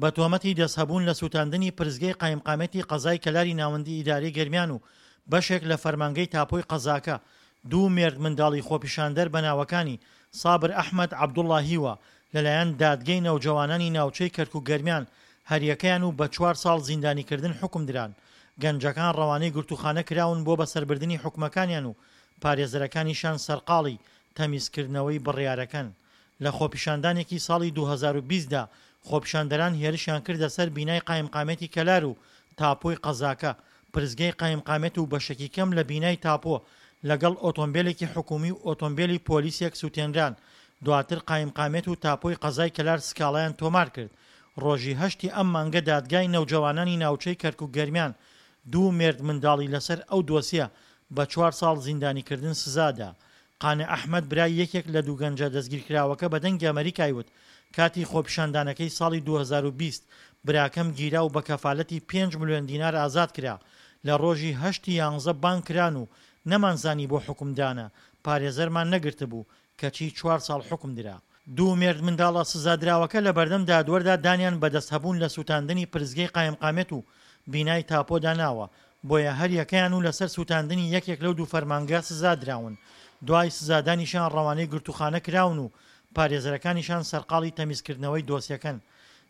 بە تۆمەتی دەستهەبوون لە سووتاندنی پرسگەی قایمقامیەتی قەزای کەلاری ناوەندی ئیدارەی گەرمیان و بەشێک لە فەرمانگەی تاپۆی قەزاکە، دوو مێردمنداڵی خۆپیشاندەر بە ناوەکانی، سابر ئەحمەد عەبدوڵا هیوا، لەلایەن دادگەی نەوجەوانانی ناوچەی کەرکوک-گەرمیان هەریەکەیان و بە چوار ساڵ زیندانیکردن حوکمدران. گەنجەکان ڕەوانەی گرتووخانە کراون بۆ بەسەربردنی حوکمەکانیان و پارێزەرەکانیشیان سەرقاڵی تەمیزکردنەوەی بڕیارەکەن. لە خۆپیشاندانێکی ساڵی 2020 دا خۆپیشاندەران هێرشیان کردە سەر بینای قایمقامیەتی کەلار و تاپۆی قەزاکە، پرسگەی قایمقامیەت و بەشێکی کەم لە بینای تاپۆ لەگەڵ ئۆتۆمبێلێکی حکومی و ئۆتۆمبێلی پۆلیسێک سوتێنران، دواتر قایمقامیەت و تاپۆی قەزای کەلار سکاڵایان تۆمار کرد. ڕۆژی هەشتی ئەم مانگە دادگای نەوجەوانانی ناوچەی کەرکوک-گەرمیان دوو مێردمنداڵی لەسەر ئەو دۆسیە بە چوار ساڵ زیندانیکردن سزادا. قانع ئەحمەد برای یەکێک لە دوو گەنجە دەستگیرکراوەکە بە دەنگی ئەمەریکای وت کاتی خۆپیشاندانەکەی ساڵی 2020 براکەم گیرا و بە کەفالەتی پێنج ملیۆن دینار ئازاد کرا، لە ڕۆژی هەشت ی یانزە بانگ کران و نەمانزانی بۆ حوکمدانە، پارێزەرمان نەگرتبوو، کەچی چوار ساڵ حوکم درا. دوو مێردمنداڵە سزادراوەکە لەبەردەم دادوەردا دانیان بە دەستهەبوون لە سوتاندنی پرسگەی قایمقامیەت و بینای تاپۆدا ناوە، بۆیە هەریەکەیان و لەسەر سوتاندنی یەکێک لەو دوو فەرمانگە سزادراون، دوای سزادانیشیان ڕەوانەی گرتووخانە کراون و پارێزەرەکانیشان سەرقاڵی تەمیزکردنەوەی دۆسیەکەن.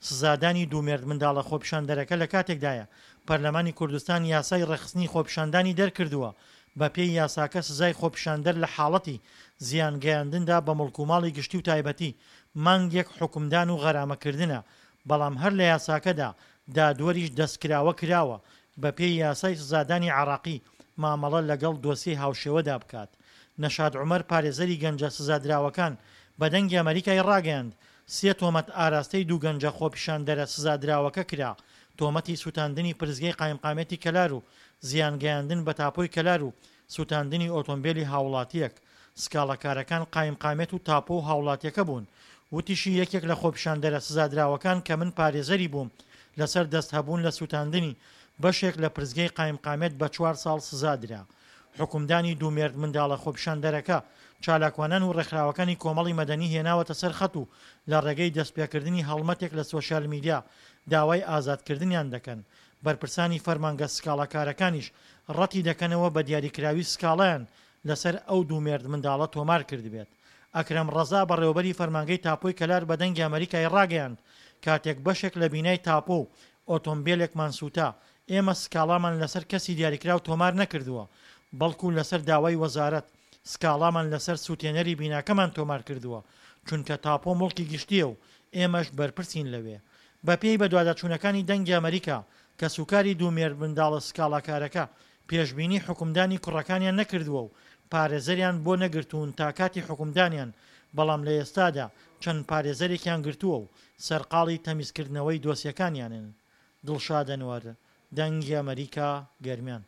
سزادانی دوو مێردمنداڵە خۆپیشاندەرەکە لەکاتێکدایە، پەرلەمانی کوردستان یاسای ڕێکخستنی خۆپیشاندانی دەرکردووە، بەپێی یاساکە سزای خۆپیشاندەر لە حاڵەتی زیان گەیاندندا بە موڵک و ماڵی گشتی و تایبەتی، مانگێک حوکمدان و غەرامەکردنە، بەڵام هەر لە یاساکەدا دادوەریش دەستکراوە کراوە بەپێی یاسای سزادانی عێراقی مامەڵە لەگەڵ دۆسیەی هاوشێوەدا بکات. نەشاد عومەر پارێزەری گەنجە سزادراوەکان بە دەنگی ئەمەریکای ڕاگەیاند، سێ تۆمەت ئاراستەی دوو گەنجە خۆپیشاندەرە سزادراوەکە کرا، تۆمەتی سوتاندنی پرسگەی قایمقامیەتی کەلار و زیان گەیاندن بە تاپۆی کەلار و سوتاندنی ئۆتۆمبێلی هاوڵاتییەک. سکاڵاکارەکان قایمقامیەت و تاپۆ و هاوڵاتیەکە بوون. وتیشی یەکێک لە خۆپیشاندەرە سزادراوەکان کە من پارێزەری بووم لەسەر دەست هەبوون لە سوتاندنی بەشێک لە پرسگەی قایمقامیەت بە چوار ساڵ سزا درا. حوکمدانی دوو مێردمنداڵە خۆپیشاندەرەکە چالاکوانان و ڕێکخراوەکانی کۆمەڵی مەدەنی هێناوەتە سەر خەت و لە ڕێگەی دەستپێکردنی هەڵمەتێک لە سۆشیال میدیا داوای ئازادکردنیان دەکەن. بەرپرسانی فەرمانگە سکاڵاکارەکانیش ڕەتی دەکەنەوە بە دیاریکراوی سکاڵایان لەسەر ئەو دوو مێردمنداڵە تۆمار کردبێت. ئەکرەم ڕەزا بەڕێوەبەری فەرمانگەی تاپۆی کەلار بە دەنگی ئەمەریکای ڕاگەیاند، کاتێک بەشێک لە بینای تاپۆ و ئۆتۆمبێلێکمان سووتا، ئێمە سکاڵامان لەسەر کەسی دیاریکراو تۆمار نەکردووە، بەڵکو لەسەر داوای وەزارەت سکاڵامان لەسەر سووتێنەری بیناکەمان تۆمار کردووە، چونکە تاپۆ موڵکی گشتییە و ئێمەش بەرپرسین لەوێ. بەپێی بەدواداچوونەکانی دەنگی ئەمەریکا، کەسوکاری دوو مێردمنداڵە سکاڵاکارەکە پێشبینی حوکمدانی کوڕەکانیان نەکردووە و پارێزەریان بۆ نەگرتوون تا کاتی حوکمدانیان، بەڵام لە ئێستادا چەند پارێزەرێکیان گرتووە و سەرقاڵی تەمیزکردنەوەی دۆسیەکانیانن. دڵشاد ئەنوەر، دەنگی ئەمەریکا، گەرمیان.